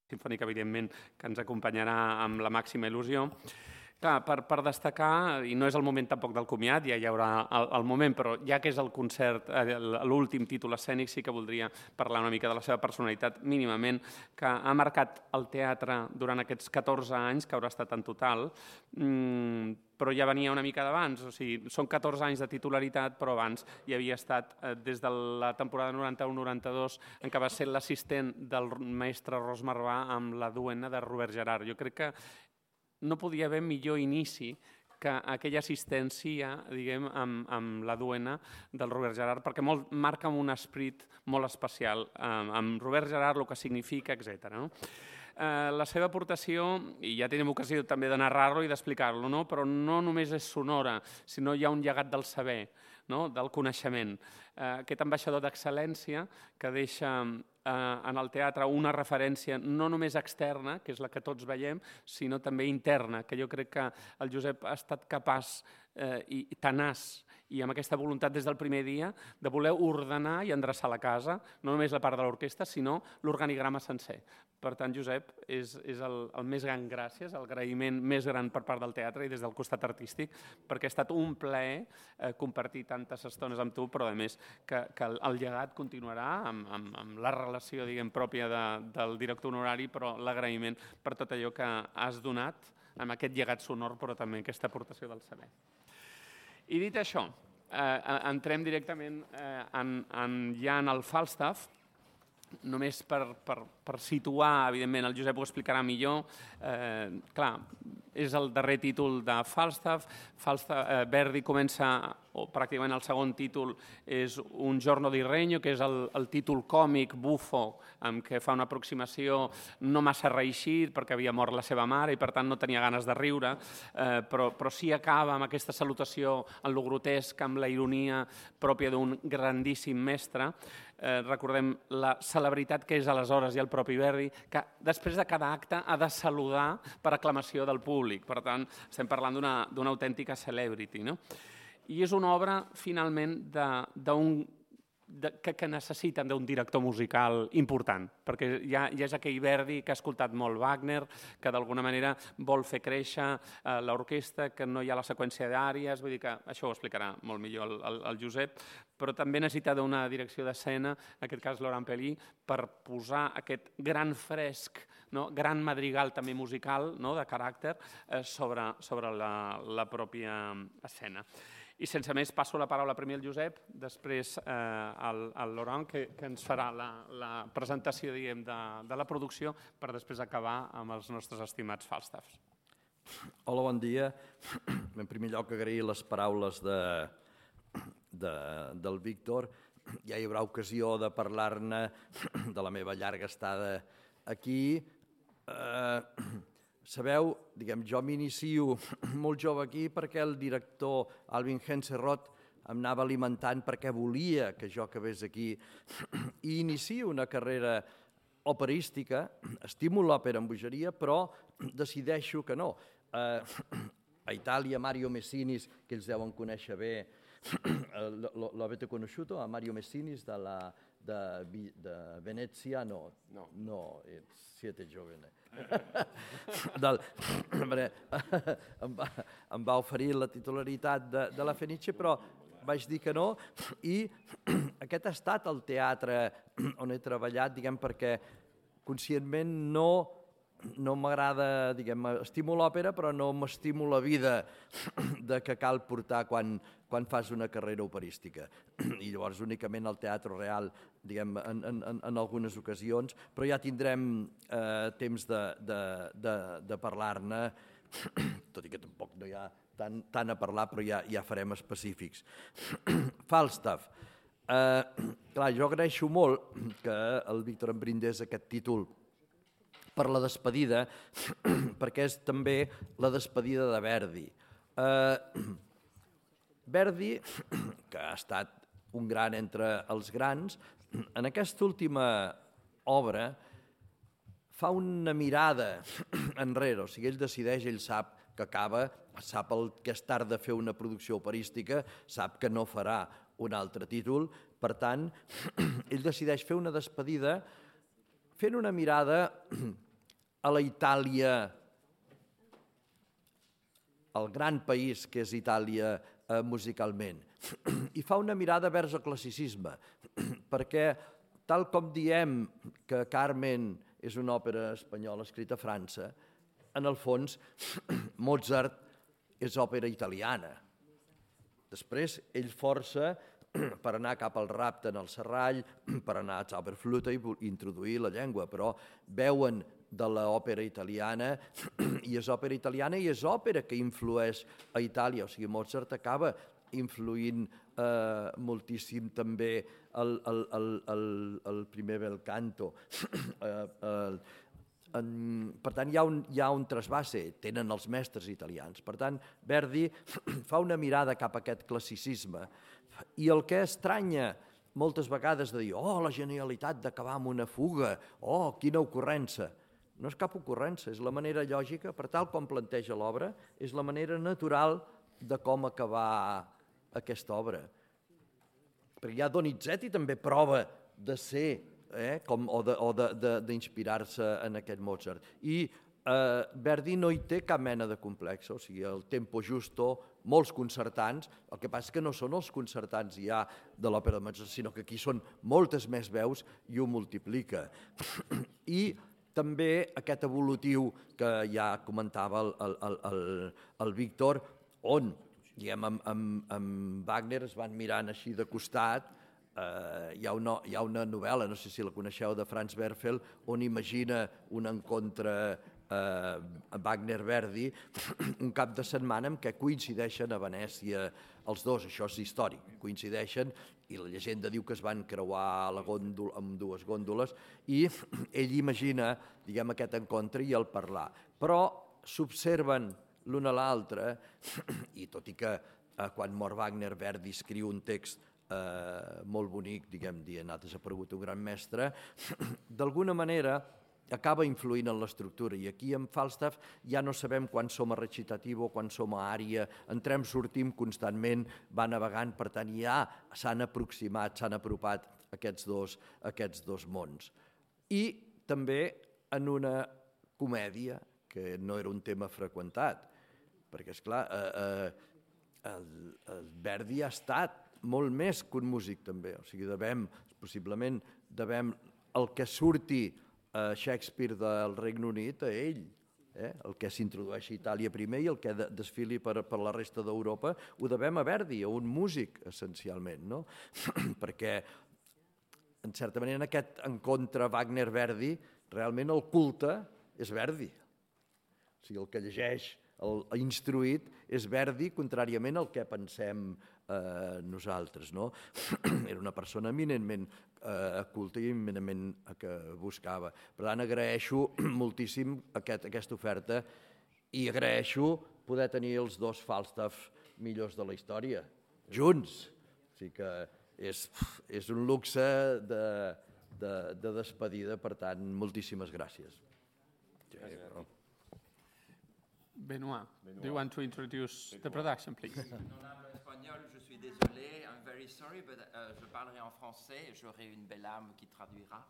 Sinfònica, evidentment, que ens acompanyarà amb la màxima il·lusió. Clar, per destacar, i no és el moment tampoc del comiat, ja hi haurà el moment, però ja que és el concert, l'últim títol escènic, sí que voldria parlar una mica de la seva personalitat mínimament, que ha marcat el teatre durant aquests 14 anys, que haurà estat en total, però ja venia una mica d'abans, o sigui, són 14 anys de titularitat, però abans hi havia estat des de la temporada 91-92, en què va ser l'assistent del mestre Ros Marvà amb la duena de Robert Gerhard. Jo crec que no podia haver millor inici que aquella assistència, diguem, amb la duena del Robert Gerhard, perquè marca un esperit molt especial, amb Robert Gerhard, el que significa, etc. La seva aportació, i ja tenim ocasió també de narrar-lo i d'explicar-lo, però no només és sonora, sinó hi ha un llegat del saber, del coneixement. Aquest ambaixador d'excel·lència que deixa en el teatre una referència no només externa, que és la que tots veiem, sinó també interna, que jo crec que el Josep ha estat capaç i tenaç i amb aquesta voluntat des del primer dia de voler ordenar i endreçar la casa, no només la part de l'orquestra, sinó l'organigrama sencer. Per tant, Josep, és el més gran gràcies, el agraïment més gran per part del teatre i des del costat artístic, perquè ha estat un plaer compartir tantes estones amb tu, però a més que el llegat continuarà amb la relació, diguem, pròpia del director honorari, però l'agraïment per tot allò que has donat amb aquest llegat sonor, però també aquesta aportació del saber. I dit això, entrem directament ja en el Falstaff, només per situar, evidentment, el Josep ho explicarà millor. Clar, és el darrer títol de Falstaff. Verdi comença, o pràcticament el segon títol, és Un giorno di regno, que és el títol còmic, bufo, amb què fa una aproximació no massa reeixit, perquè havia mort la seva mare i per tant no tenia ganes de riure, però sí acaba amb aquesta salutació en lo grotesc, amb la ironia pròpia d'un grandíssim mestre. Recordem la celebritat que és aleshores i el propi Verdi, que després de cada acte ha de saludar per aclamació del públic. Per tant, estem parlant d'una autèntica celebrity. I és una obra, finalment, que necessiten d'un director musical important, perquè ja és aquell Verdi que ha escoltat molt Wagner, que d'alguna manera vol fer créixer l'orquestra, que no hi ha la seqüència d'àries, vull dir que això ho explicarà molt millor el Josep, però també necessita d'una direcció d'escena, en aquest cas Laurent Pelly, per posar aquest gran fresc, gran madrigal també musical, de caràcter, sobre la pròpia escena. I sense més passo la paraula primer al Josep, després al Laurent, que ens farà la presentació de la producció per després acabar amb els nostres estimats Falstaffs. Hola, bon dia. En primer lloc, agrair les paraules del Víctor. Ja hi haurà ocasió de parlar-ne de la meva llarga estada aquí. Sabeu, jo m'inicio molt jove aquí perquè el director Alvin Henserot em anava alimentant perquè volia que jo acabés aquí i inicio una carrera operística, estimo l'òpera en bogeria, però decideixo que no. A Itàlia, Mario Messinis, que ells deuen conèixer bé, l'avete conosciuto, a Mario Messinis de Venezia? No, siete giovane. Em va oferir la titularitat de la Fenice, però vaig dir que no, i aquest ha estat el teatre on he treballat, perquè conscientment no m'agrada, estimo l'òpera, però no m'estimo la vida que cal portar quan fas una carrera operística. I llavors únicament el Teatre Real, en algunes ocasions, però ja tindrem temps de parlar-ne, tot i que tampoc no hi ha tant a parlar, però ja farem específics. Falstaff. Clar, jo agraeixo molt que el Víctor em brindés aquest títol per la despedida, perquè és també la despedida de Verdi. Verdi, que ha estat un gran entre els grans, en aquesta última obra fa una mirada enrere, o sigui, ell decideix, ell sap que acaba, sap que és tard de fer una producció operística, sap que no farà un altre títol, per tant, ell decideix fer una despedida fent una mirada a la Itàlia, el gran país que és Itàlia musicalment, i fa una mirada vers el classicisme, perquè tal com diem que Carmen és una òpera espanyola escrita a França, en el fons Mozart és òpera italiana. Després ell força per anar cap al rapte en el serrall, per anar a Zauberflöte i introduir la llengua, però veuen de l'òpera italiana i és òpera italiana i és òpera que influeix a Itàlia, o sigui, Mozart acaba influint moltíssim també el primer bel canto. Per tant, hi ha un trasbase, tenen els mestres italians. Per tant, Verdi fa una mirada cap a aquest classicisme i el que estranya moltes vegades de dir la genialitat d'acabar amb una fuga, quina ocurrència. No és cap ocurrència, és la manera lògica, per tal com planteja l'obra, és la manera natural de com acabar aquesta obra. Perquè ja Donizetti també prova de ser o d'inspirar-se en aquest Mozart. I Verdi no hi té cap mena de complex, o sigui, el tempo justo, molts concertants, el que passa és que no són els concertants ja de l'òpera de Mozart, sinó que aquí són moltes més veus i ho multiplica. I també aquest evolutiu que ja comentava el Víctor, on, diguem, amb Wagner es van mirant així de costat. Hi ha una novel·la, no sé si la coneixeu, de Franz Werfel, on imagina un encontre Wagner-Verdi un cap de setmana en què coincideixen a Venècia els dos, això és històric, coincideixen i la llegenda diu que es van creuar amb dues gòndoles i ell imagina, diguem, aquest encontre i el parlar. Però s'observen l'un a l'altre i tot i que quan mor Wagner, Verdi escriu un text molt bonic, diguem, dient ha desaparegut un gran mestre, d'alguna manera acaba influint en l'estructura. I aquí en Falstaff ja no sabem quan som a recitatiu o quan som a ària, entrem, sortim constantment, va navegant, per tant ja s'han aproximat, s'han apropat aquests dos mons. I també en una comèdia, que no era un tema freqüentat, perquè, esclar, el Verdi ha estat molt més que un músic també, o sigui, possiblement devem el que surti a Shakespeare del Regne Unit a ell, el que s'introdueix a Itàlia primer i el que desfili per la resta d'Europa ho devem a Verdi, a un músic essencialment, no? Perquè en certa manera en aquest encontre Wagner-Verdi realment el culte és Verdi, o sigui, el que llegeix, l'instruït és Verdi, contràriament al que pensem nosaltres, no? Era una persona eminentment culta i eminentment que buscava. Per tant, agraeixo moltíssim aquesta oferta i agraeixo poder tenir els dos Falstaff millors de la història, junts. O sigui que és un luxe de despedida, per tant, moltíssimes gràcies. Benoît, do you want to introduce the production, please? Je suis désolé, I'm very sorry, but je parlerai en français, j'aurai une belle âme qui traduira.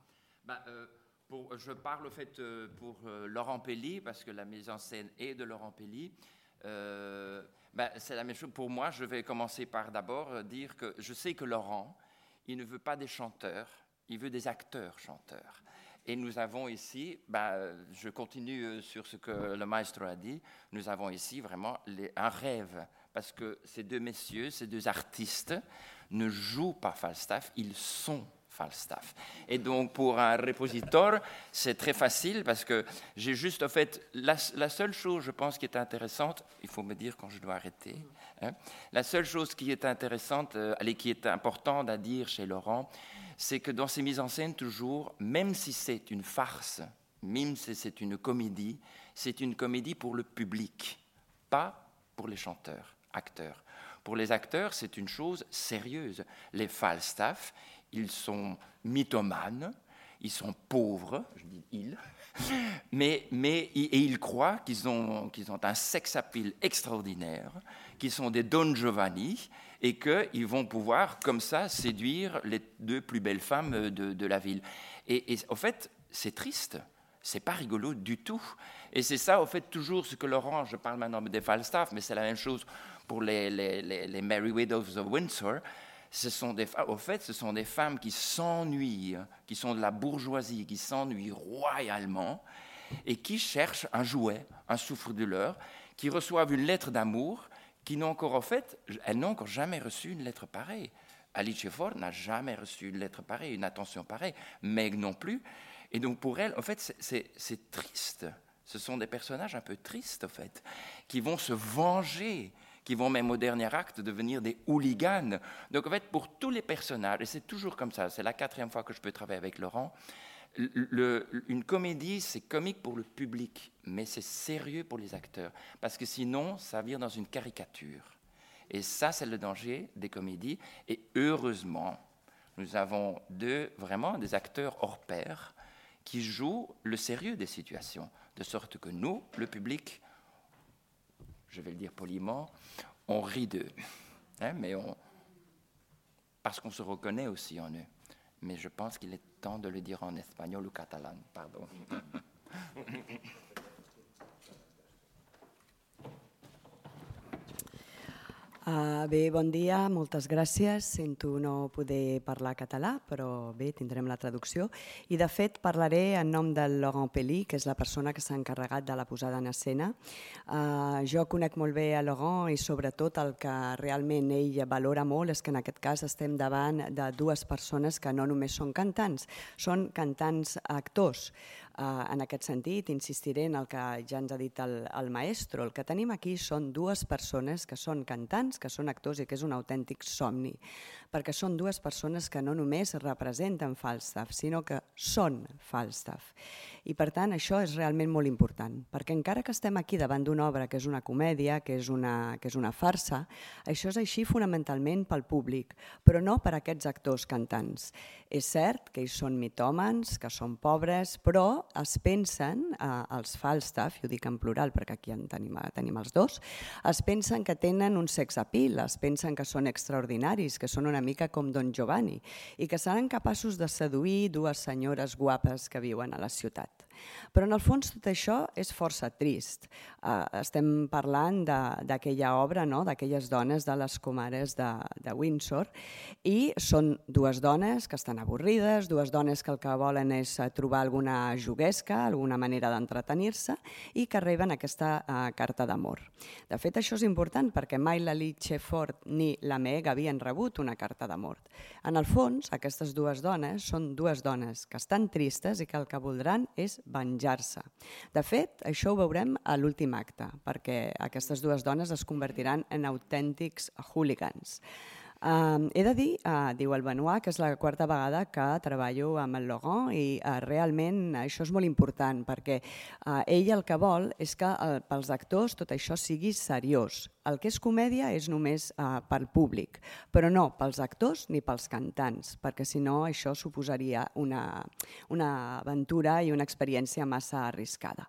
Je parle au fait pour Laurent Pelli, parce que la mise en scène est de Laurent Pelli. C'est la même chose pour moi. Je vais commencer par d'abord dire que je sais que Laurent, il ne veut pas des chanteurs, il veut des acteurs chanteurs. Et nous avons ici, je continue sur ce que le maestro a dit, nous avons ici vraiment un rêve, parce que ces deux messieurs, ces deux artistes, ne jouent pas Falstaff, ils sont Falstaff. Et donc pour un répositeur, c'est très facile, parce que j'ai juste, en fait, la seule chose, je pense, qui est intéressante, il faut me dire quand je dois arrêter, la seule chose qui est intéressante, qui est importante à dire chez Laurent, c'est que dans ces mises en scène, toujours, même si c'est une farce, même si c'est une comédie pour le public, pas pour les chanteurs, acteurs. Pour les acteurs, c'est une chose sérieuse. Les Falstaff, ils sont mythomanes, ils sont pauvres, je dis ils, mais ils croient qu'ils ont un sex appeal extraordinaire, qu'ils sont des Don Giovanni, et qu'ils vont pouvoir, comme ça, séduire les deux plus belles femmes de la ville. Et en fait, c'est triste. c'est pas rigolo du tout. Et c'est ça, au fait, toujours ce que Laurent, je parle maintenant des Falstaff, mais c'est la même chose pour les Merry Widows of Windsor. Ce sont des femmes qui s'ennuient, qui sont de la bourgeoisie, qui s'ennuient royalement et qui cherchent un jouet, un souffre-douleur, qui reçoivent une lettre d'amour, elles n'ont encore jamais reçu une lettre pareille. Alice Ford n'a jamais reçu une lettre pareille, une attention pareille, Meg non plus. Et donc pour elle, en fait, c'est triste. Ce sont des personnages un peu tristes, en fait, qui vont se venger, qui vont même au dernier acte devenir des hooligans. Donc en fait, pour tous les personnages, et c'est toujours comme ça, c'est la 4e fois que je peux travailler avec Laurent, une comédie, c'est comique pour le public, mais c'est sérieux pour les acteurs, parce que sinon, ça vire dans une caricature. Et ça, c'est le danger des comédies. Et heureusement, nous avons vraiment des acteurs hors pair qui jouent le sérieux des situations, de sorte que nous, le public, je vais le dire poliment, on rit d'eux, mais parce qu'on se reconnaît aussi en eux. Mais je pense qu'il est temps de le dire en espagnol ou catalan, pardon. Bé, bon dia, moltes gràcies. Sento no poder parlar català, però bé, tindrem la traducció. I de fet parlaré en nom del Laurent Pelly, que és la persona que s'ha encarregat de la posada en escena. Jo conec molt bé a Laurent i sobretot el que realment ell valora molt és que en aquest cas estem davant de dues persones que no només són són cantants actors. En aquest sentit, insistiré en el que ja ens ha dit el maestro. El que tenim aquí són dues persones que són cantants, que són actors i que és un autèntic somni, perquè són dues persones que no només representen Falstaff, sinó que són Falstaff. I per tant això és realment molt important, perquè encara que estem aquí davant d'una obra que és una comèdia, que és una farsa, això és així fonamentalment pel públic, però no per aquests actors cantants. És cert que ells són mitòmans, que són pobres, però es pensen, els Falstaff, i ho dic en plural perquè aquí en tenim els dos, es pensen que tenen un sex appeal, es pensen que són extraordinaris, que són una mica com Don Giovanni i que seran capaços de seduir dues senyores guapes que viuen a la ciutat. Però en el fons tot això és força trist. Estem parlant d'aquella obra, d'aquelles dones de les comares de Windsor, i són dues dones que estan avorrides, dues dones que el que volen és trobar alguna juguesca, alguna manera d'entretenir-se i que reben aquesta carta d'amor. De fet, això és important perquè mai la Alice Ford ni la Meg havien rebut una carta d'amor. En el fons, aquestes dues dones són dues dones que estan tristes i que el que voldran és venjar-se. De fet, això ho veurem a l'últim acte, perquè aquestes dues dones es convertiran en autèntics hooligans. He de dir, diu el Benoit, que és la 4a vegada que treballo amb el Laurent i realment això és molt important perquè ell el que vol és que pels actors tot això sigui seriós. El que és comèdia és només pel públic, però no pels actors ni pels cantants, perquè si no això suposaria una aventura i una experiència massa arriscada.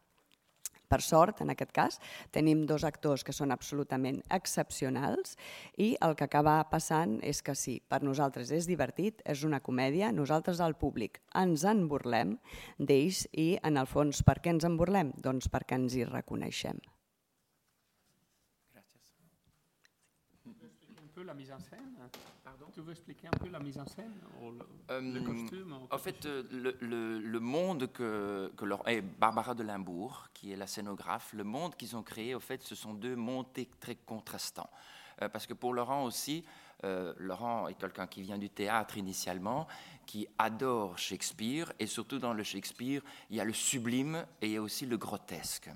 Per sort, en aquest cas, tenim dos actors que són absolutament excepcionals i el que acaba passant és que sí, per nosaltres és divertit, és una comèdia, nosaltres al públic ens en burlem d'ells i, en el fons, per què ens en burlem? Doncs perquè ens hi reconeixem. La mise en scène. Pardon. Tu veux expliquer un peu la mise en scène ou le costume En fait, le monde que et Barbara de Limbourg, qui est la scénographe, le monde qu'ils ont créé, au fait, ce sont deux mondes très contrastants. Parce que pour Laurent aussi, Laurent est quelqu'un qui vient du théâtre initialement, qui adore Shakespeare, et surtout dans le Shakespeare, il y a le sublime et il y a aussi le grotesque.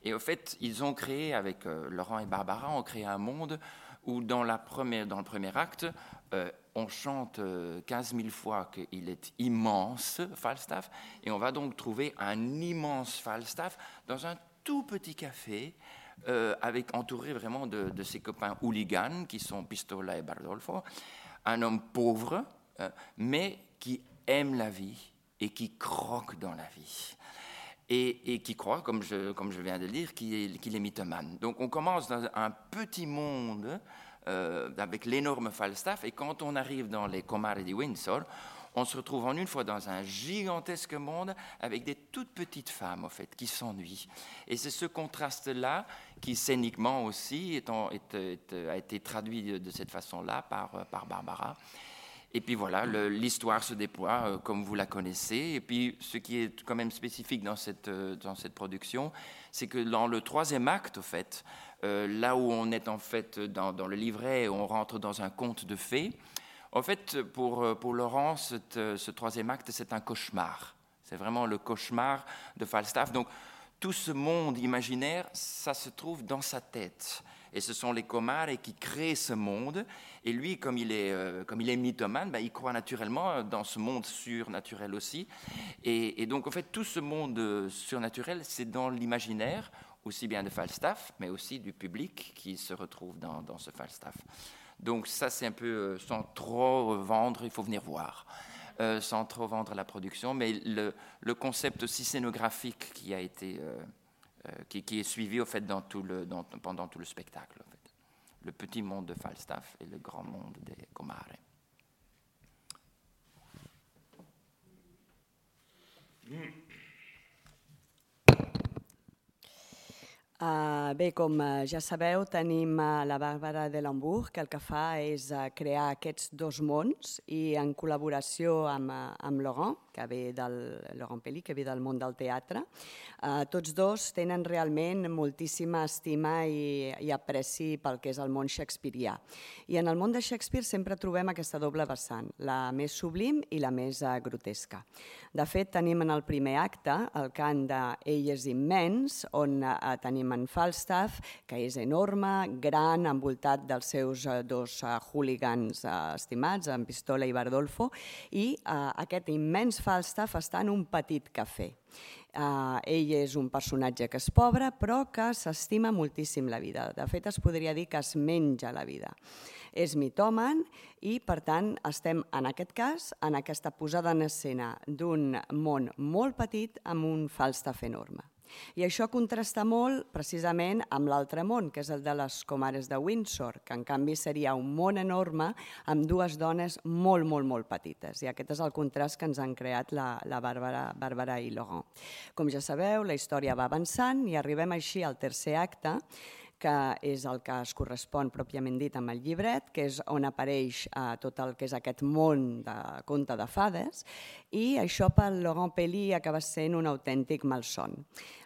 Et au fait, ils ont créé, avec Laurent et Barbara, ont créé un monde où dans le premier acte, on chante 15 000 fois qu'il est immense, Falstaff, et on va donc trouver un immense Falstaff dans un tout petit café, entouré vraiment de ses copains hooligans, qui sont Pistola et Bardolfo, un homme pauvre, mais qui aime la vie et qui croque dans la vie. Et qui croit, comme je viens de le dire, qu'il est mythomane. Donc on commence dans un petit monde avec l'énorme Falstaff, et quand on arrive dans les Comares de Windsor, on se retrouve en une fois dans un gigantesque monde avec des toutes petites femmes, en fait, qui s'ennuient. Et c'est ce contraste-là qui, scéniquement aussi, a été traduit de cette façon-là par Barbara. Et puis voilà, l'histoire se déploie comme vous la connaissez. Et puis ce qui est quand même spécifique dans cette production, c'est que dans le troisième acte, en fait, là où on est en fait dans le livret, on rentre dans un conte de fées. En fait, pour Laurent, ce troisième acte, c'est un cauchemar. C'est vraiment le cauchemar de Falstaff. Donc tout ce monde imaginaire, ça se trouve dans sa tête. Et ce sont les Comare qui créent ce monde. Et lui, comme il est mythomane, il croit naturellement dans ce monde surnaturel aussi. Et donc, en fait, tout ce monde surnaturel, c'est dans l'imaginaire, aussi bien de Falstaff, mais aussi du public qui se retrouve dans ce Falstaff. Donc ça, c'est un peu, sans trop vendre, il faut venir voir, sans trop vendre la production. Mais le concept aussi scénographique qui a été... qui est suivi au fait, pendant tout le spectacle. En fait. Le petit monde de Falstaff et le grand monde des Comare. Bé, com ja sabeu, tenim la Bàrbara de Lembourg, que el que fa és crear aquests dos mons i en col·laboració amb Laurent, que ve Laurent Pelli, que ve del món del teatre. Tots dos tenen realment moltíssima estima i apreci pel que és el món shakespearià. I en el món de Shakespeare sempre trobem aquesta doble vessant, la més sublim i la més grotesca. De fet, tenim en el primer acte el cant d'Ell és immens, on tenim en Falstaff, que és enorme, gran, envoltat dels seus dos hooligans estimats, en Pistola i Bardolfo, i aquest immens Falstaff està en un petit cafè. Ell és un personatge que és pobre, però que s'estima moltíssim la vida. De fet, es podria dir que es menja la vida. És mitòman i, per tant, estem, en aquest cas, en aquesta posada en escena d'un món molt petit amb un Falstaff enorme. I això contrasta molt precisament amb l'altre món, que és el de les Comares de Windsor, que en canvi seria un món enorme amb dues dones molt, molt, molt petites. I aquest és el contrast que ens han creat la Bàrbara i Laurent. Com ja sabeu, la història va avançant i arribem així al tercer acte, que és el que es correspon pròpiament dit amb el llibret, que és on apareix tot el que és aquest món de conte de fades, i això pel Laurent Pelli acaba sent un autèntic malson.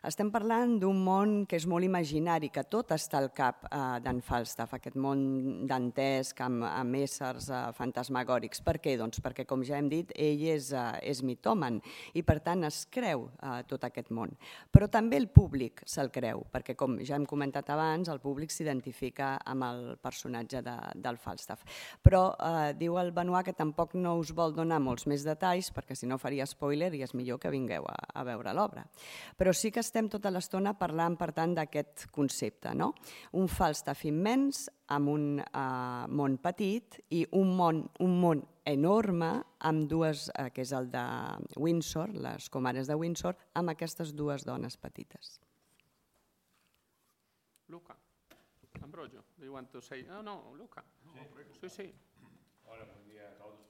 Estem parlant d'un món que és molt imaginari, que tot està al cap d'en Falstaff, aquest món dantesc amb éssers fantasmagòrics. Per què? Doncs perquè, com ja hem dit, ell és mitòman i, per tant, es creu tot aquest món. Però també el públic se'l creu, perquè, com ja hem comentat abans, el públic s'identifica amb el personatge del Falstaff. Però diu el Benoît que tampoc no us vol donar molts més detalls, perquè si no faria spoiler i és millor que vingueu a veure l'obra. Però sí que estem tota l'estona parlant, per tant, d'aquest concepte, no? Un Falstaff immens amb un món petit i un món enorme amb dues, que és el de Windsor, les Comares de Windsor, amb aquestes dues dones petites. Luca, Ambrogio, do you want to say? No, Luca. Sí. Hola, buen día a todos.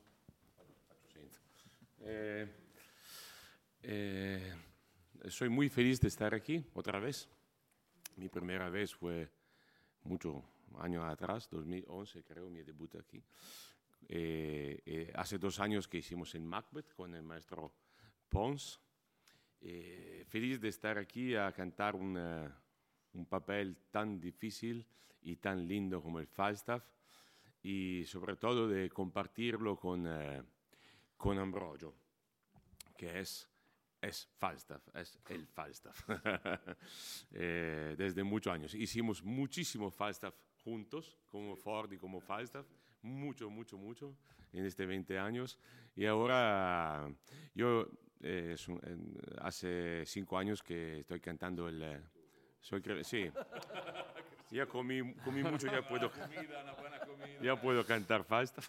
Soy muy feliz de estar aquí otra vez. Mi primera vez fue muchos años atrás, 2011 creo, mi debut aquí. Hace 2 años que hicimos en Macbeth con el maestro Pons. Feliz de estar aquí a cantar un papel tan difícil y tan lindo como el Falstaff y sobre todo de compartirlo con Ambrogio, que es Falstaff, es el Falstaff. Desde muchos años. Hicimos muchísimo Falstaff juntos, como Ford y como Falstaff, mucho, en este 20 años. Y ahora yo hace 5 años que estoy cantando sí. Ya comí mucho, ya puedo cantar Falstaff.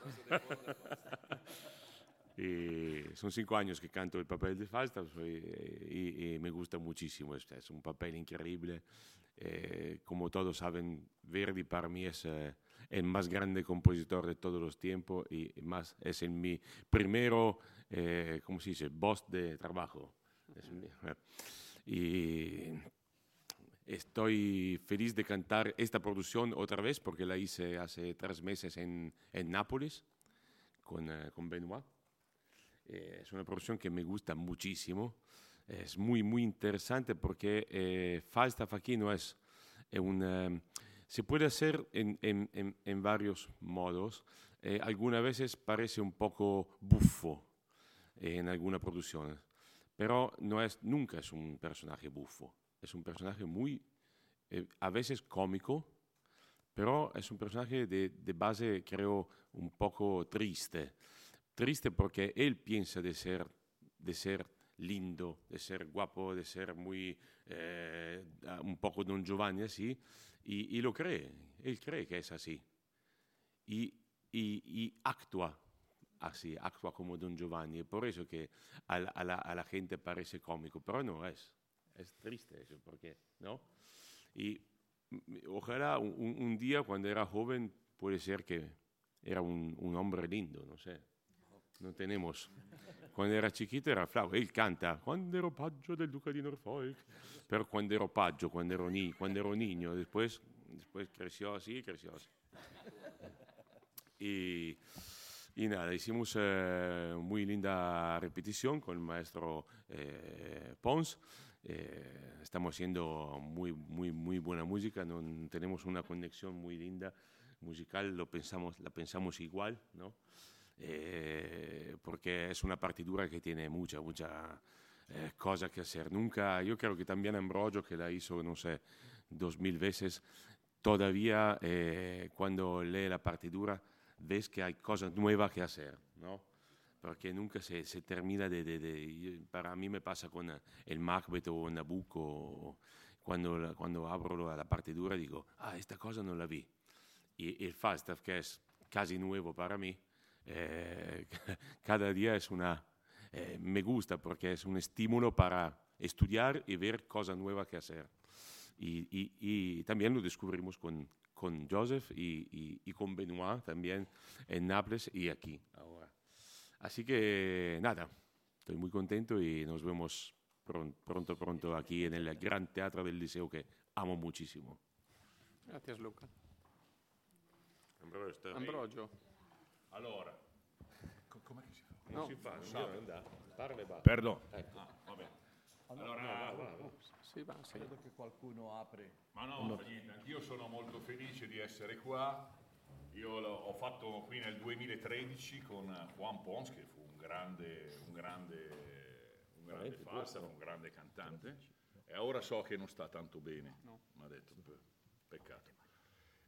Y son 5 años que canto el papel de Falstaff y me gusta muchísimo. Es un papel increíble. Como todos saben, Verdi para mí es el más grande compositor de todos los tiempos y más es mi primero, ¿cómo se dice?, boss de trabajo. Y estoy feliz de cantar esta producción otra vez porque la hice hace 3 meses en Nápoles con Benoit. Es una producción que me gusta muchísimo. Es muy, muy interesante porque Falstaff aquí no es se puede hacer en varios modos. Algunas veces parece un poco buffo en alguna producción, pero nunca es un personaje buffo. Es un personaje muy, a veces cómico, pero es un personaje de base, creo, un poco triste. Triste porque él piensa de ser lindo, de ser guapo, de ser muy, un poco Don Giovanni así, y lo cree, él cree que es así. Y actúa así, actúa como Don Giovanni, y por eso que a la gente parece cómico, pero no es triste eso, porque, ¿no? Y ojalá un día cuando era joven puede ser que era un hombre lindo, no sé. No tenemos. Quando era chiquito era flauto, él canta quando ero paggio del duca di Norfolk, pero quando ero paggio, quando ero niño, después creció así. Y nada, hicimos muy linda repetición con el maestro Pons. Estamos haciendo muy, muy, muy buena música, tenemos una conexión muy linda musical, la pensamos igual, ¿no? Porque es una partitura que tiene mucha cosa que hacer. Yo creo que también Ambrogio, que la hizo, no sé, 2000 veces, todavía cuando lee la partitura ves que hay cosas nuevas que hacer, ¿no? Porque nunca se termina para mí me pasa con el Macbeth o Nabucco, cuando abro la partitura digo, esta cosa no la vi. Y el Falstaff, que es casi nuevo para mí, cada día me gusta porque es un estímulo para estudiar y ver cosas nuevas que hacer. Y también lo descubrimos con Joseph y con Benoit también en Nápoles y aquí ahora. Así que nada, estoy muy contento y nos vemos pronto aquí en el Gran Teatro del Liceo que amo muchísimo. Gracias, Luca. Ambrogio. Allora, com'è che si fa? Non si fa, parla e basta. Perdono. Va bene. Allora, Sì, va, sì. Credo che qualcuno apre. Ma no, non fa niente, anch'io sono molto felice di essere qua. Io ho fatto qui nel 2013 con Juan Pons, che fu un grande Falstaff, un grande cantante, e ora so che non sta tanto bene, mi ha detto, peccato.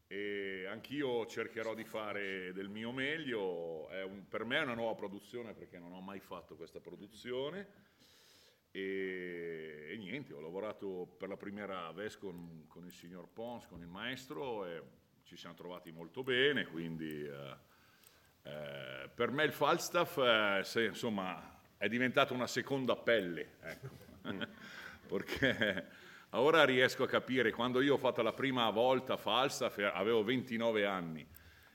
E anch'io cercherò di fare del mio meglio, per me è una nuova produzione perché non ho mai fatto questa produzione e niente, ho lavorato per la prima vez con il signor Pons, con il maestro, e ci siamo trovati molto bene, quindi per me il Falstaff insomma è diventato una seconda pelle, ecco. Perché ora riesco a capire, quando io ho fatto la prima volta Falstaff avevo 29 anni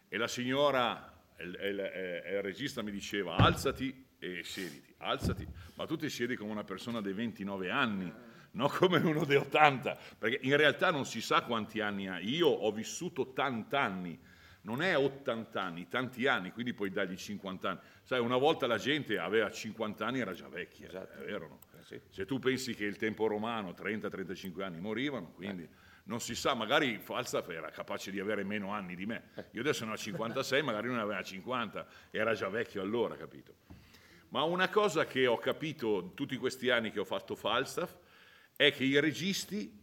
e la signora, il regista mi diceva alzati e siediti, alzati, ma tu ti siedi come una persona dei 29 anni, non come uno dei 80, perché in realtà non si sa quanti anni ha. Io ho vissuto 80 anni, non è 80 anni, tanti anni, quindi puoi dargli 50 anni. Sai, una volta la gente aveva 50 anni, era già vecchia, esatto. È vero, no? Sì. Se tu pensi che il tempo romano 30-35 anni morivano, quindi non si sa, magari Falstaff era capace di avere meno anni di me. Io adesso ne ho 56, magari non aveva 50, era già vecchio allora, capito? Ma una cosa che ho capito tutti questi anni che ho fatto Falstaff è che i registi,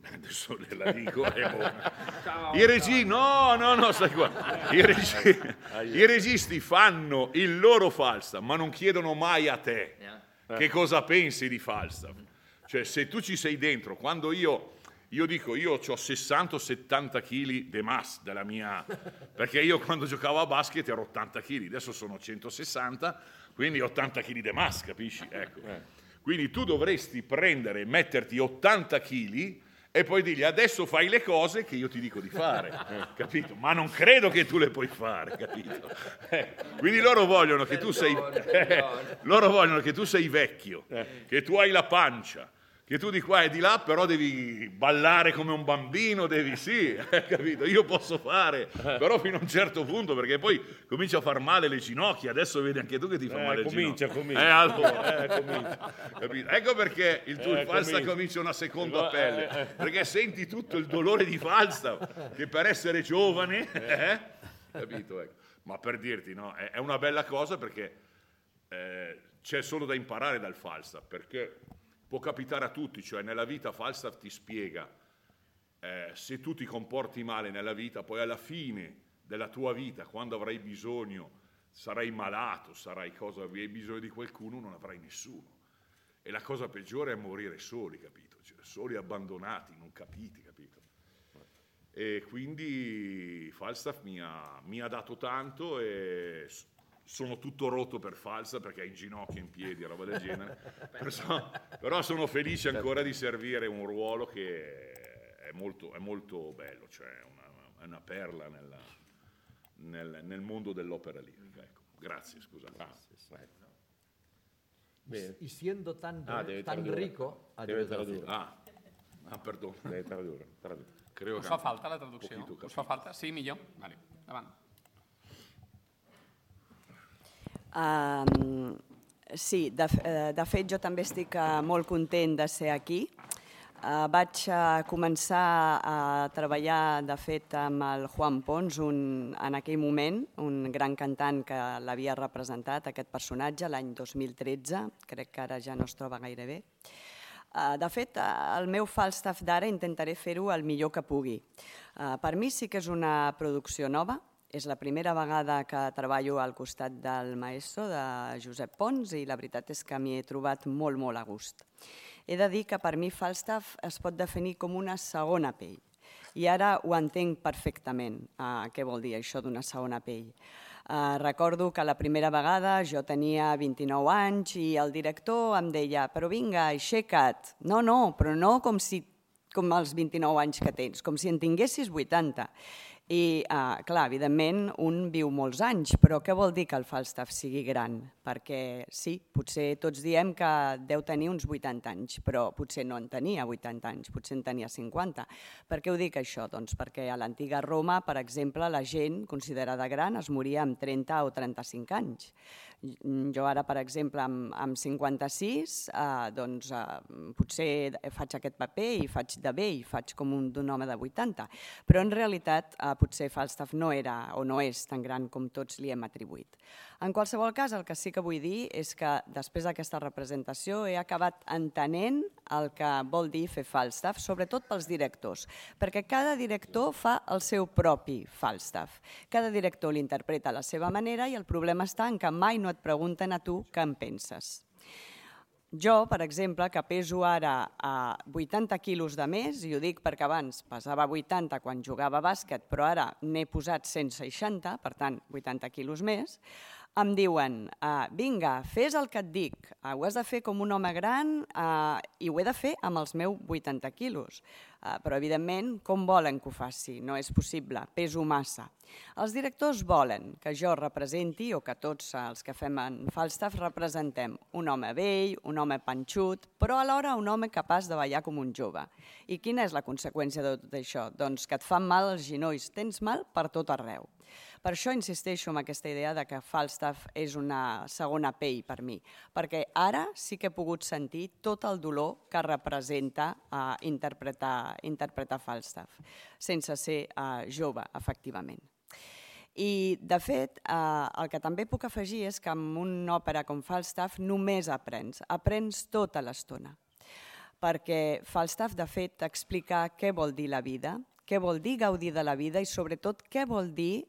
adesso la dico, i registi, no, stai qua, i registi fanno il loro Falstaff, ma non chiedono mai a te che cosa pensi di Falstaff. Cioè, se tu ci sei dentro, quando io Io dico, io ho 60 o 70 kg di massa della mia... Perché io quando giocavo a basket ero 80 kg, adesso sono 160, quindi 80 kg di massa, capisci? Ecco. Quindi tu dovresti prendere e metterti 80 kg e poi dirgli adesso fai le cose che io ti dico di fare, capito? Ma non credo che tu le puoi fare, capito? Quindi loro vogliono che tu sei vecchio, che tu hai la pancia, che tu di qua e di là però devi ballare come un bambino, capito? Io posso fare, però fino a un certo punto, perché poi comincia a far male le ginocchia, adesso vedi anche tu che ti fa male le ginocchia. Comincia. Capito? Ecco perché il tuo Falstaff comincia una seconda pelle, perché senti tutto il dolore di Falstaff, che per essere giovane, capito? Ecco. Ma per dirti, no, è una bella cosa perché c'è solo da imparare dal Falstaff, perché può capitare a tutti, cioè nella vita Falstaff ti spiega, se tu ti comporti male nella vita, poi alla fine della tua vita, quando avrai bisogno, sarai malato, avrai bisogno di qualcuno, non avrai nessuno. E la cosa peggiore è morire soli, capito? Cioè, soli, abbandonati, non capiti, capito? E quindi Falstaff mi ha dato tanto e... sono tutto rotto per Falstaff perché ha in ginocchio, in piedi, roba del genere, però sono felice ancora di servire un ruolo che è molto bello, cioè è una perla nel mondo dell'opera lirica. Ecco. Grazie, scusa. Y siendo tan rico... Deve tradurre. Perdono. Deve tradurre. Us fa falta la traducció? Us fa falta? Sí, millor? Vale, davant. Sí, de fet jo també estic molt content de ser aquí. Vaig començar a treballar, de fet, amb el Juan Pons, en aquell moment, un gran cantant que l'havia representat, aquest personatge, l'any 2013, crec que ara ja no es troba gaire bé. De fet, el meu Falstaff d'ara intentaré fer-ho el millor que pugui. Per mi sí que és una producció nova, és la primera vegada que treballo al costat del maestro, de Josep Pons, i la veritat és que m'hi he trobat molt, molt a gust. He de dir que per mi Falstaff es pot definir com una segona pell. I ara ho entenc perfectament, què vol dir això d'una segona pell. Recordo que la primera vegada jo tenia 29 anys i el director em deia «Però vinga, aixeca't». No, però no com els 29 anys que tens, com si en tinguessis 80. I, clar, evidentment, un viu molts anys, però què vol dir que el Falstaff sigui gran? Perquè sí, potser tots diem que deu tenir uns 80 anys, però potser no en tenia 80 anys, potser en tenia 50. Per què ho dic això? Doncs perquè a l'antiga Roma, per exemple, la gent considerada gran es moria amb 30 o 35 anys. Jo ara, per exemple, amb 56, doncs potser faig aquest paper i faig de vell, faig com d'un home de 80, però en realitat potser Falstaff no era o no és tan gran com tots li hem atribuït. En qualsevol cas, el que sí que vull dir és que després d'aquesta representació he acabat entenent el que vol dir fer Falstaff, sobretot pels directors, perquè cada director fa el seu propi Falstaff. Cada director l'interpreta a la seva manera i el problema està en que mai no et pregunten a tu què en penses. Jo, per exemple, que peso ara 80 quilos de més, i ho dic perquè abans pesava 80 quan jugava a bàsquet, però ara n'he posat 160, per tant, 80 quilos més, em diuen, vinga, fes el que et dic, ho has de fer com un home gran i ho he de fer amb els meus 80 quilos. Però, evidentment, com volen que ho faci? No és possible, peso massa. Els directors volen que jo representi, o que tots els que fem en Falstaff representem un home vell, un home panxut, però alhora un home capaç de ballar com un jove. I quina és la conseqüència de tot això? Doncs que et fan mal els genolls, tens mal per tot arreu. Per això insisteixo en aquesta idea de que Falstaff és una segona pell per mi, perquè ara sí que he pogut sentir tot el dolor que representa interpretar Falstaff, sense ser jove, efectivament. I, de fet, el que també puc afegir és que amb una òpera com Falstaff només aprens tota l'estona, perquè Falstaff, de fet, t'explica què vol dir la vida, què vol dir gaudir de la vida i, sobretot, què vol dir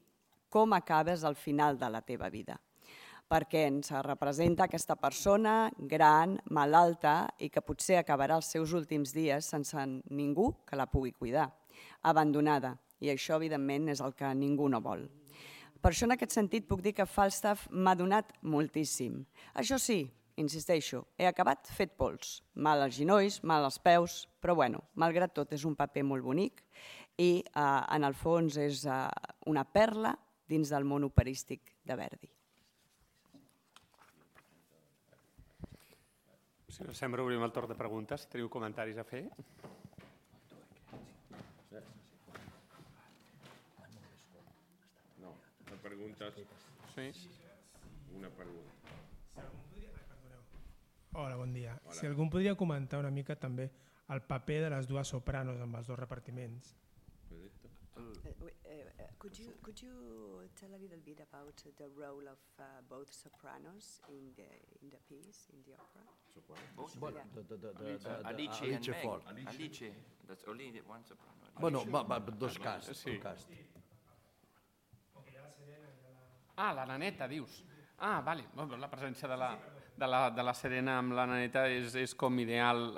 com acabes al final de la teva vida. perquè ens representa aquesta persona gran, malalta i que potser acabarà els seus últims dies sense ningú que la pugui cuidar, abandonada, i això evidentment és el que ningú no vol. Per això en aquest sentit puc dir que Falstaff m'ha donat moltíssim. Això sí, insisteixo, he acabat fet pols, mal als genolls, mal als peus, però bueno, malgrat tot és un paper molt bonic i en el fons és una perla dins del món operístic de Verdi. Si no sembla, obrim el torn de preguntes. Si teniu comentaris a fer. No, preguntes. Sí. Una pregunta. Hola, bon dia. Si algú podria comentar una mica també el paper de les dues sopranos amb els dos repartiments. Could you tell a little bit about the role of both sopranos in the piece, in the opera? Alice and Meg. Alice, that's only one soprano. Bueno, dos casts. Sí. Ah, la naneta, dius. Ah, vale. La presència de la Serena amb la naneta és com ideal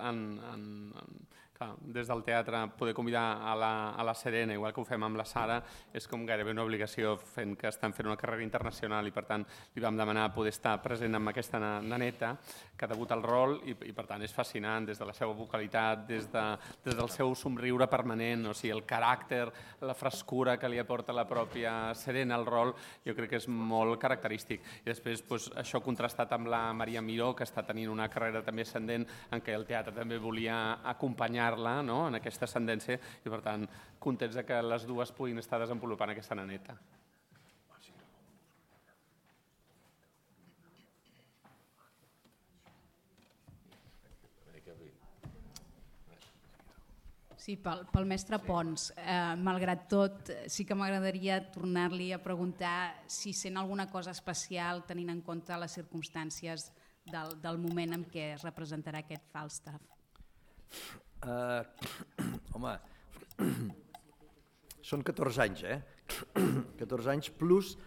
des del teatre poder convidar a la Serena, igual que ho fem amb la Sara, és com gairebé una obligació fent que estan fent una carrera internacional i per tant li vam demanar poder estar present amb aquesta naneta que debuta el rol i per tant és fascinant des de la seva vocalitat, des del seu somriure permanent, o sigui, el caràcter, la frescura que li aporta la pròpia Serena al rol, jo crec que és molt característic. I després això contrastat amb la Maria Miró, que està tenint una carrera també ascendent en què el teatre també volia acompanyar en aquesta ascendència i per tant contents que les dues puguin estar desenvolupant aquesta naneta. Sí, pel mestre Pons, malgrat tot, sí que m'agradaria tornar-li a preguntar si sent alguna cosa especial tenint en compte les circumstàncies del moment en què es representarà aquest Falstaff. Home, són 14 anys, 14 anys plus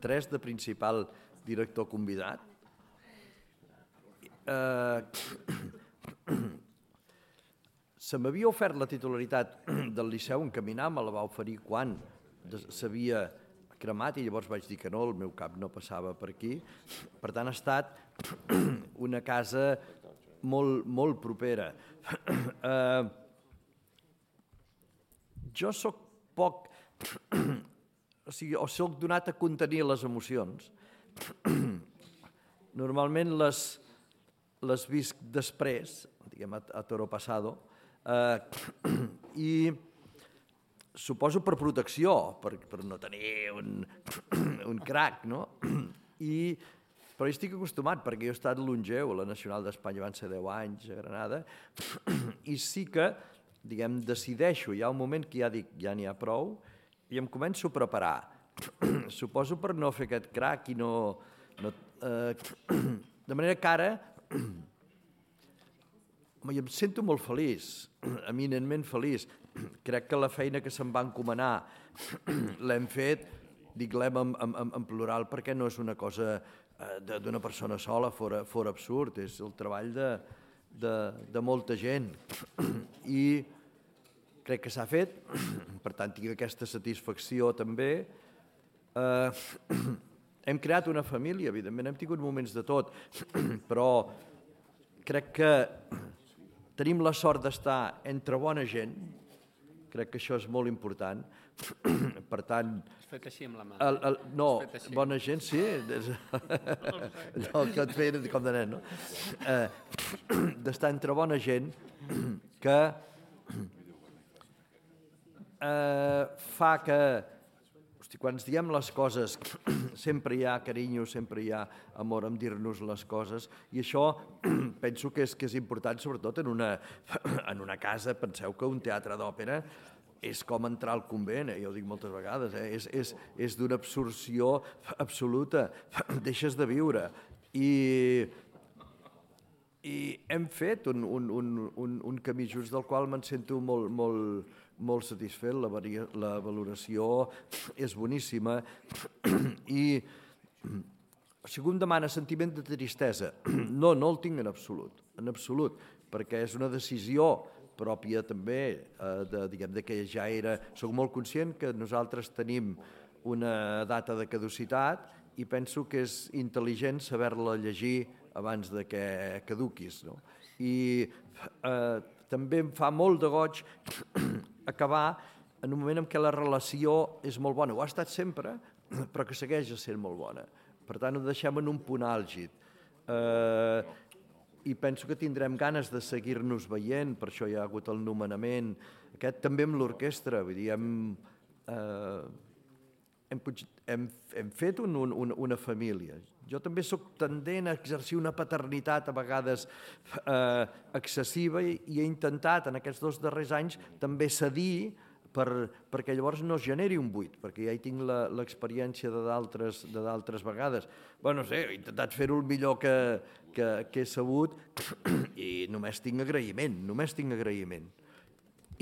3 de principal director convidat. Se m'havia ofert la titularitat del Liceu Encaminar, me la va oferir quan s'havia cremat i llavors vaig dir que no, el meu cap no passava per aquí. Per tant, ha estat una casa molt propera. Jo soc poc, o soc donat a contenir les emocions. Normalment les visc després, diguem a toro passado, i suposo per protecció, per no tenir un crac, no? Però hi estic acostumat, perquè jo he estat longeu a la Nacional d'Espanya, van ser 10 anys a Granada, i sí que, diguem, decideixo, hi ha un moment que ja dic, ja n'hi ha prou, i em començo a preparar. Suposo per no fer aquest crac i no... De manera que ara em sento molt feliç, eminentment feliç. Crec que la feina que se'm va encomanar l'hem fet, dic l'hem en plural perquè no és una cosa d'una persona sola, fora absurd, és el treball de molta gent. I crec que s'ha fet, per tant tinc aquesta satisfacció també. Hem creat una família, evidentment hem tingut moments de tot, però crec que tenim la sort d'estar entre bona gent, crec que això és molt important. Per tant... Has fet així amb la mà. No, bona gent, sí. No, que et feien com de nen, no? D'estar entre bona gent que fa que... Quan ens diem les coses, sempre hi ha carinyo, sempre hi ha amor en dir-nos les coses, i això penso que és important, sobretot en una casa. Penseu que un teatre d'òpera és com entrar al convent, jo ho dic moltes vegades, és d'una absorció absoluta, deixes de viure. I hem fet un camí just del qual me'n sento molt satisfet, la valoració és boníssima i Si algú em demana sentiment de tristesa, no el tinc en absolut, perquè és una decisió pròpia també, de que ja soc molt conscient que nosaltres tenim una data de caducitat i penso que és intel·ligent saber-la llegir abans de que caduquis. No? I també em fa molt de goig acabar en un moment en què la relació és molt bona. Ho ha estat sempre, però que segueix sent molt bona. Per tant, ho deixem en un punt àlgid. I penso que tindrem ganes de seguir-nos veient, per això hi ha hagut el nomenament. Aquest també amb l'orquestra, vull dir, hem fet una família. Jo també sóc tendent a exercir una paternitat a vegades excessiva i he intentat en aquests 2 darrers anys també cedir perquè llavors no es generi un buit, perquè ja hi tinc l'experiència de d'altres vegades. Bé, no sé, he intentat fer-ho el millor que he sabut i només tinc agraïment.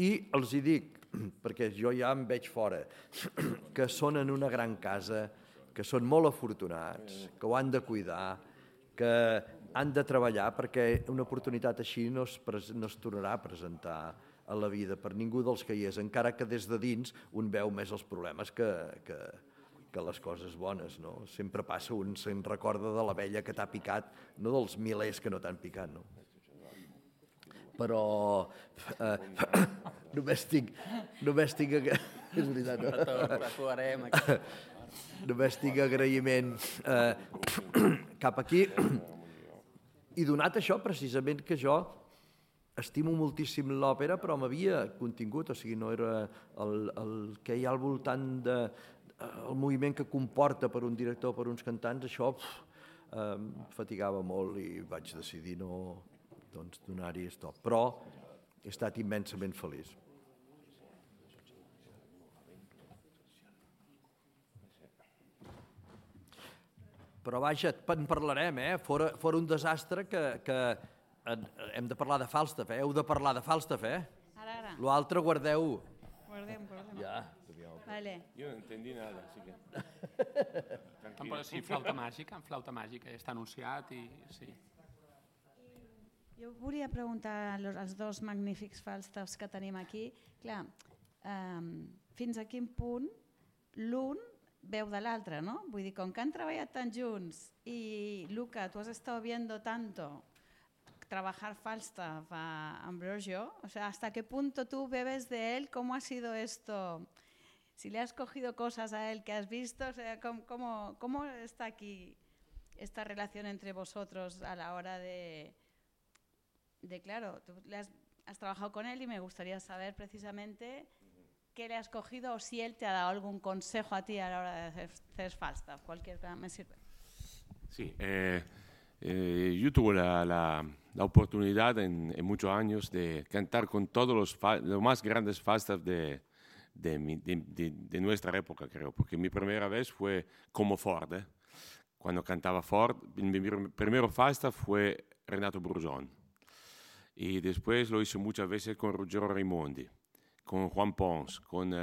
I els hi dic, perquè jo ja em veig fora, que són en una gran casa, que són molt afortunats, que ho han de cuidar, que han de treballar perquè una oportunitat així no es tornarà a presentar a la vida per ningú dels que hi és, encara que des de dins un veu més els problemes que les coses bones. No? Sempre passa, un se'n recorda de l'abella que t'ha picat, no dels milers que no t'han picat. No? Però només tinc és veritat, no? Només tinc agraïment cap aquí i donat això precisament que jo estimo moltíssim l'òpera, però m'havia contingut, o sigui, no era el que hi ha al voltant del moviment que comporta per un director, per uns cantants, això em fatigava molt i vaig decidir no donar-hi stop. Però he estat immensament feliç. Però vaja, en parlarem, fora un desastre que hem de parlar de Falstaff, heu de parlar de Falstaff, Ara. L'altre guardeu-ho. Guardem. Ja. Vale. Yo no entendí nada, así que... Però sí, flauta màgica, està anunciat i sí. Jo volia preguntar als 2 magnífics Falstaffs que tenim aquí, clar, fins a quin punt l'un veu de l'altre, no? Vull dir, com que han treballat tant junts i Luca, tu has estado viendo tanto trabajar Falstaff a Ambrogio, o sea, ¿hasta qué punto tú bebes de él? ¿Cómo ha sido esto? Si le has cogido cosas a él que has visto, o sea, ¿cómo está aquí esta relación entre vosotros a la hora de claro, tú has trabajado con él y me gustaría saber precisamente qué le has cogido o si él te ha dado algún consejo a ti a la hora de hacer Falstaff, cualquier cosa me sirve. Sí, yo tuve la oportunidad en muchos años de cantar con todos los más grandes Falstaff de nuestra época, creo, porque mi primera vez fue como Ford. Cuando cantaba Ford, mi primero Falstaff fue Renato Brusón. Y después lo hice muchas veces con Ruggero Raimondi, con Juan Pons, con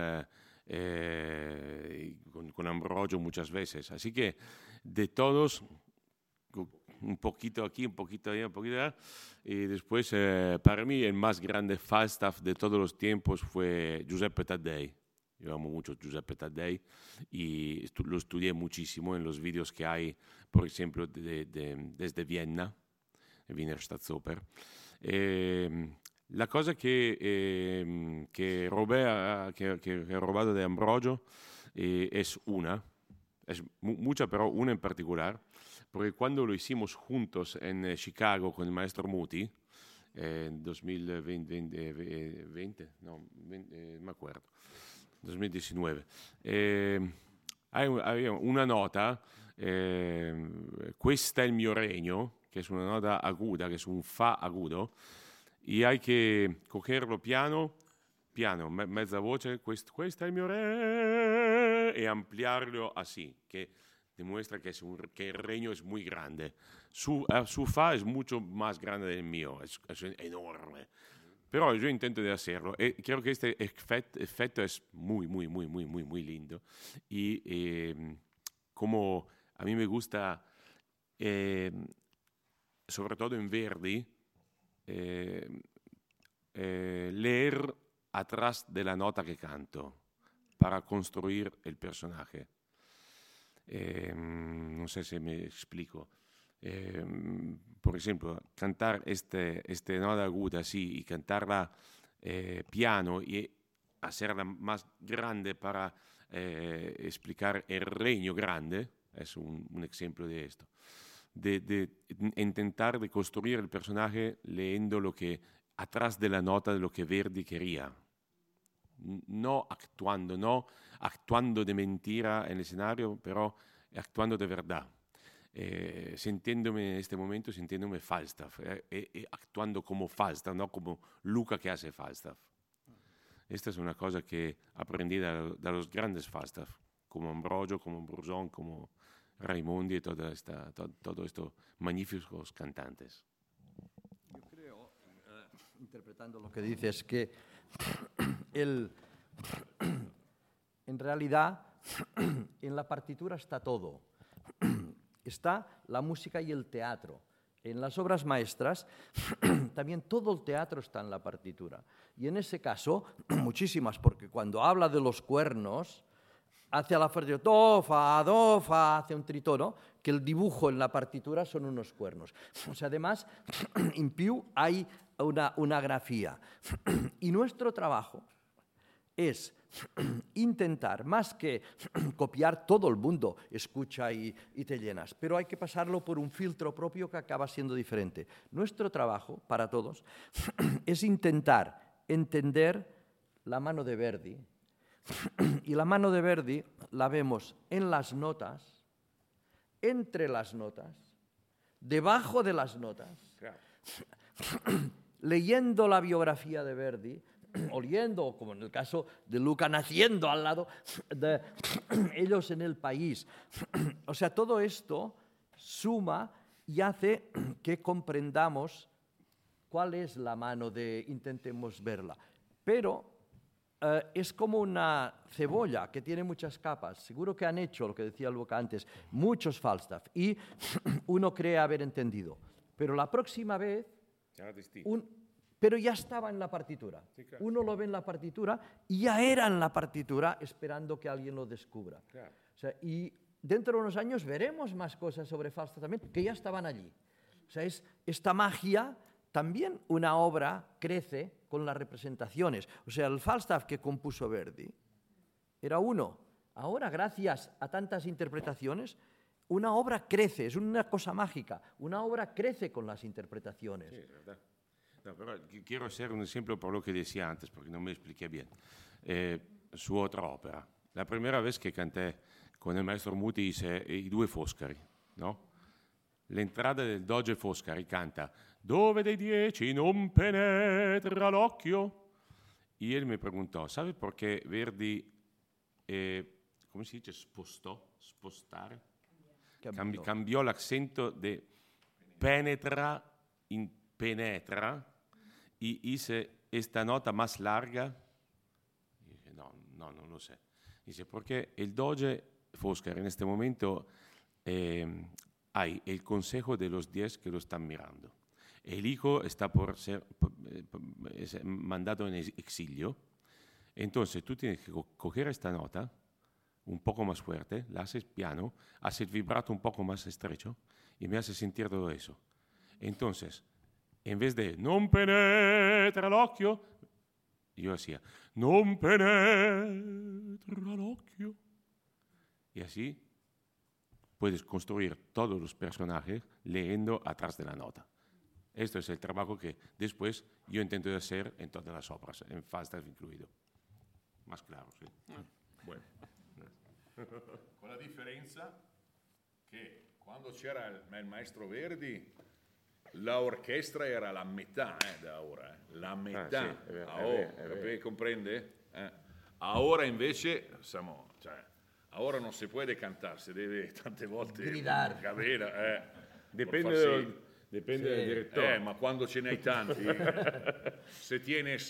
Ambrogio muchas veces. Así que de todos... un poquito aquí, un poquito allá, un poquito allá. Y después, para mí, el más grande Falstaff de todos los tiempos fue Giuseppe Taddei. Yo amo mucho Giuseppe Taddei y lo estudié muchísimo en los vídeos que hay, por ejemplo, desde Viena, Wiener Staatsoper. La cosa que he robado de Ambrogio es una, es mucha, pero una en particular. Porque cuando lo hicimos juntos en Chicago con el maestro Muti, en 2020, no me acuerdo, 2019, había una nota, Questa è il mio regno, que es una nota aguda, que es un fa agudo, y hay que cogerlo piano, mezza voce, questa è il mio regno, y ampliarlo así, que demuestra que el regno es muy grande. Su fa es mucho más grande del mío, es enorme. Pero yo intento de hacerlo. Creo que este efecto es muy lindo. Y como a mí me gusta sobre todo en Verdi, leer atrás de la nota que canto para construir el personaje. No sé si me explico. Por ejemplo, cantar este nota aguda así y cantarla piano y hacerla más grande para explicar el reino grande, es un ejemplo de esto. De intentar de construir el personaje leyendo lo que atrás de la nota de lo que Verdi quería. No actuando de mentira en el escenario, pero actuando de verdad. Sintiéndome en este momento, sintiéndome Falstaff, actuando como Falstaff, no como Luca que hace Falstaff. Esta es una cosa que aprendí de los grandes Falstaff, como Ambrogio, como Bruzón, como Raimondi y todo estos magníficos cantantes. Yo creo, interpretando lo que dices, que en realidad en la partitura está todo. Está la música y el teatro. En las obras maestras también todo el teatro está en la partitura. Y en ese caso, muchísimas, porque cuando habla de los cuernos, hace a la partitura do, fa, hace un tritono, que el dibujo en la partitura son unos cuernos. O sea, además, en più hay una grafía. Y nuestro trabajo es intentar, más que copiar, todo el mundo escucha y te llenas, pero hay que pasarlo por un filtro propio que acaba siendo diferente. Nuestro trabajo, para todos, es intentar entender la mano de Verdi, y la mano de Verdi la vemos en las notas, entre las notas, debajo de las notas, leyendo la biografía de Verdi, oliendo, como en el caso de Luca, naciendo al lado de ellos en el país. O sea, todo esto suma y hace que comprendamos cuál es la mano de intentemos verla. Pero es como una cebolla que tiene muchas capas. Seguro que han hecho, lo que decía Luca antes, muchos Falstaff y uno cree haber entendido. Pero la próxima vez... Pero ya estaba en la partitura. Sí, claro. Uno lo ve en la partitura y ya era en la partitura esperando que alguien lo descubra. Claro. O sea, y dentro de unos años veremos más cosas sobre Falstaff también que ya estaban allí. O sea, es esta magia, también una obra crece con las representaciones. O sea, el Falstaff que compuso Verdi era uno. Ahora, gracias a tantas interpretaciones, una obra crece, es una cosa mágica. Una obra crece con las interpretaciones. Sí, verdad. No, pero quiero hacer un ejemplo por lo que decía antes, porque no me expliqué bien. Su otra ópera. La primera vez que canté con el maestro Muti hice I due Foscari, ¿no? L'entrata del Doge Foscari canta «Dove dei 10 non penetra l'occhio?» Y él me preguntó, ¿sabe por qué Verdi, ¿cómo se dice? Spostare? Cambió el acento de penetra in penetra y hice esta nota más larga. Y dije, no lo sé. Dice, porque el Doge Foscari en este momento hay el consejo de los 10 que lo están mirando. El hijo está por ser mandado en exilio. Entonces tú tienes que coger esta nota un poco más fuerte, la haces piano, haces el vibrato un poco más estrecho y me hace sentir todo eso. Entonces, en vez de non penetra l'occhio, yo hacía non penetra l'occhio. Y así puedes construir todos los personajes leyendo atrás de la nota. Esto es el trabajo que después yo intento hacer en todas las obras, en Falstaff incluido. Más claro, sí. Bueno. Con la differenza che quando c'era il maestro Verdi, la orchestra era la metà da ora, la metà. Sì, comprende? Ora invece siamo, ora non si può cantare, si deve tante volte gridare. Dipende del direttore. Ma quando ce n'hai tanti, se tienes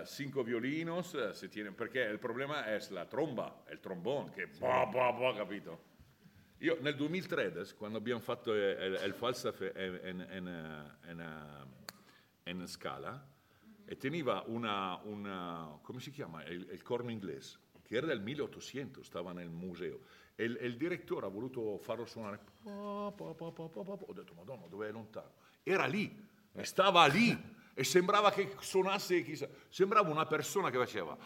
5 violinos, perché il problema è la tromba, il trombone, che capito? Io nel 2013, quando abbiamo fatto il Falstaff in Scala, e teneva una come si chiama? Il corno inglese, che era del 1800, stava nel museo. E il direttore ha voluto farlo suonare. Ho detto, Madonna, dov'è lontano? Era lì, e stava lì, e sembrava che suonasse, chissà, sembrava una persona che faceva,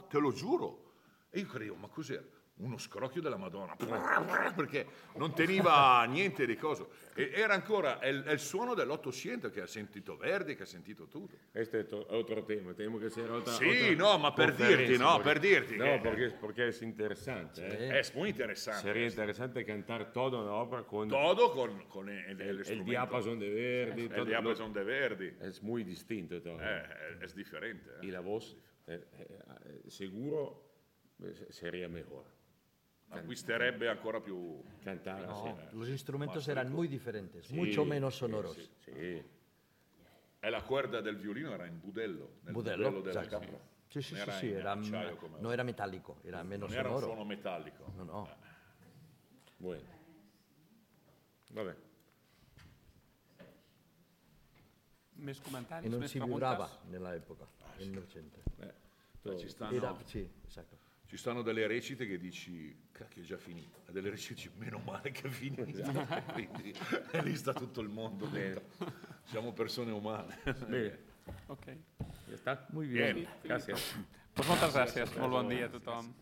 te lo giuro. E io credevo, ma cos'era? Uno scrocchio della Madonna, perché non teneva niente di coso. E era ancora il suono dell'800 che ha sentito Verdi, che ha sentito tutto. Questo è otro tema, temo che sia otra Sì, no, ma per dirti, no, per dirti. No, porque es interesante. Es muy interesante. Sería interesante cantar toda una obra con... Todo con el diapasón de Verdi. El diapasón de Verdi. Es muy distinto todo. Es diferente. Y la voz, seguro, sería mejor. Acquisterebbe ancora più cantar. No, los instrumentos eran muy diferentes, mucho menos sonoros. Sí. E la cuerda del violino era in budello, nel budello della esatto. capra. Sì, no era metálico, era menos sonoro. Non era un suono metallico. No. Bueno. Vabbè. Més comentaris, E non més si preguntes? vibrava nell'epoca, nel 1900. Ci stanno delle recite che dici, cacchio è già finita, e delle recite dici, meno male che è finita, quindi lì sta tutto il mondo dentro. Siamo persone umane. Bene. Ok. Ja està? Muy bien. Bien. Gràcies. Pues moltes gràcies. Molt bon dia a tothom.